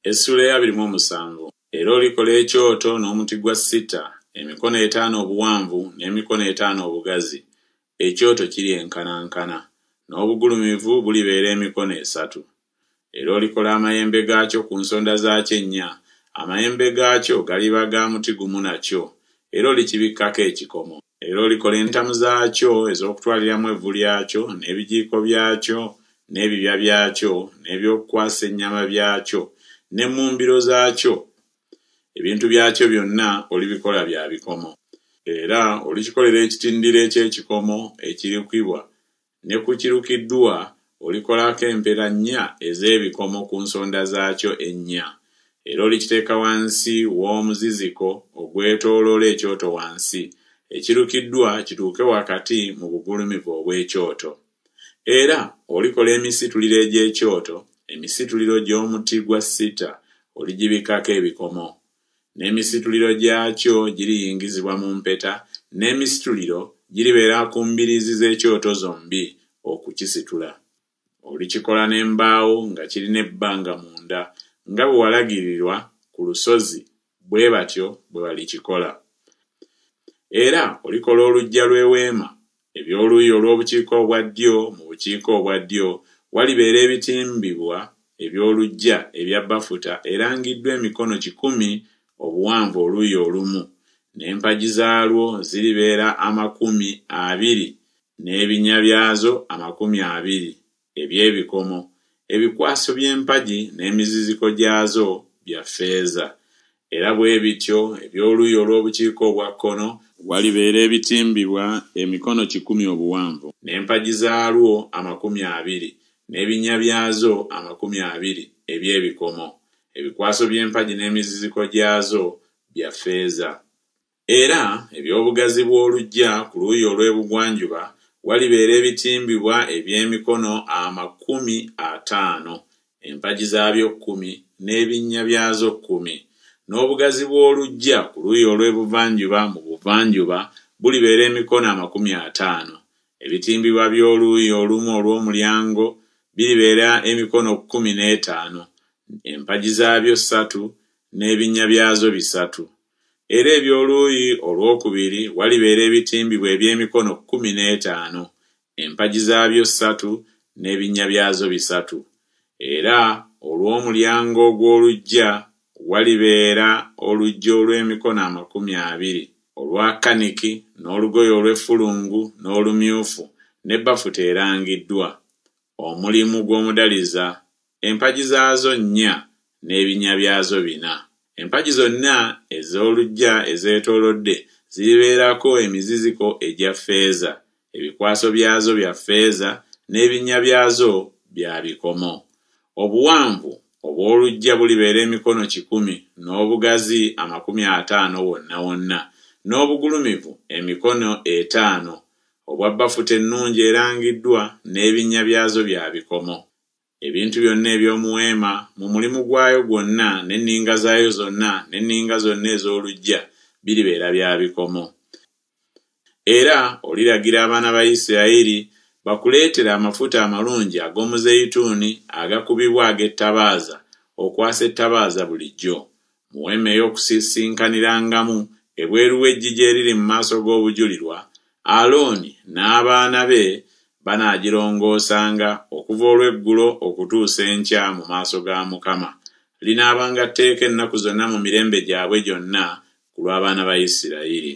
Essuula ey'abiri mu omusanvu. Era olikola ekyoto n'omuti gwa sita, emikono etaano obuwanvu n'emikono etaano obugazi, ekyoto kiryenkanankana, n'obugulumivu bulibeera emikono esatu. Era olikola amayembe gaakyo ku nsonda zaakyo ennya, amayembe gaakyo galiba ga muti gumu nakyo, era olikibikkako ekikomo. Era olikola entamu zaakyo ez'okutwaliramu evvu lyakyo, n'ebijiiko byakyo, n'ebibya byakyo, n'eby'okukwasa ennyama byakyo, n'emmumbiro zaakyo, ebintu byakyo byonna olibikola bya bikomo. Era olikikolera ekitindiro eky'ekikomo ekirukibwa, ne ku kirukiddwa olikolako empera nnya ez'ebikomo ku nsonda zaakyo ennya. Era olikiteeka wansi w'omuziziko ogwetooloola ekyoto wansi, ekirukiddwa kituuke wakati mu bugulumivu obw'ekyoto. Era olikola emisituliro egy'ekyoto, emisituliro gy'omuti gwa sita, oligibikkako ebikomo. N'emisituliro gyakyo giriyingizibwa mu mpeta, n'emisituliro giribeera ku mbiriizi z'ekyoto zombi okukisitula. Olikikola n'embaawo nga kirina ebbanga munda, nga bwe walagirirwa ku lusozi bwe batyo bwe balikikola. Era olikola oluggya lw'eweema, eby'oluuyi olw'obukiika obwa ddyo mu bukiika obwa ddyo walibeera ebitimbibwa eby'oluggya ebya bafuta erangiddwa emikono kikumi obuwanvu oluuyi olumu, n'empagi zaalwo ziribeera amakumi abiri n'ebinnya byazo amakumi abiri eby'ebikomo, ebikwaso by'empagi n'emiziziko gyazo bya ffeeza. Era bwe bityo eby'oluuyi olw'obukiika obwa kkono walibeera ebitimbibwa emikono kikumi obuwanvu, n'empagi zaalwo amakumi abiri, n'ebinnya byazo amakumi abiri eby'ebikomo, ebikwaso by'empagi n'emiziziko gyazo bya ffeeza. Era eby'obugazi bw'oluggya ku luuyi olw'ebugwanjuba walibeera ebitimbibwa eby'emikono amakumi ataano, empagi zaabyo kkumi, n'ebinnya byazo kkumi. N'obugazi bw'oluggya ku luuyi olw'ebuvanjuba mu buvanjuba bulibeera emikono amakumi ataano, ebitimbibwa by'oluuyi olumu olw'omulyango biribeera emikono kkumi n'etaano, empagi zaabyo ssatu, n'ebinnya byazo bisatu. Era eby'oluuyi olw'okubiri walibeera ebitimbibwa eby'emikono kkumi n'etaano, empagi zaabyo ssatu, n'ebinnya byazo bisatu. Era olw'omulyango ogw'oluggya walibeera oluggya olw'emikono amakumi abiri, olwa kaniki, n'olugoye olw'effulungu, n'olumyufu, ne bafuta erangiddwa, omulimu gw'omudaliza, empagi zaazo nnya, n'ebinnya byazo bina. Empagi zonna ez'oluggya ezeetoolodde ziribeerako emiziziko egya ffeeza, ebikwaso byazo bya ffeeza, n'ebinnya byazo bya bikomo. Obuwanvu obw'oluggya bulibeera emikono kikumi, n'obugazi amakumi ataano wonna wonna, n'obugulumivu emikono etaano, obwa bafuta ennungi erangiddwa, n'ebinnya byazo bya bikomo. Ebintu byonna eby'omu weema mu mulimu gwayo gwonna n'enninga zaayo zonna n'enninga zonna ez'oluggya biribeera bya bikomo. Era oliragira abaana ba Isirayiri bakuleetere amafuta amalungi ag'omuzeyituuni agakubibwa ag'ettabaaza okwasa ettabaaza bulijjo, mu weema ey'okusisinkanirangamu ebweru w'eggigi eriri mu maaso g'obujulirwa, Alooni n'abaana be banaagirongoosanga okuva olw'eggulo okutuusa enkya mu maaso ga Mukama, linaabanga tteeka ennaku zonna mu mirembe gyabwe gyonna ku lw'abaana ba Isirayiri.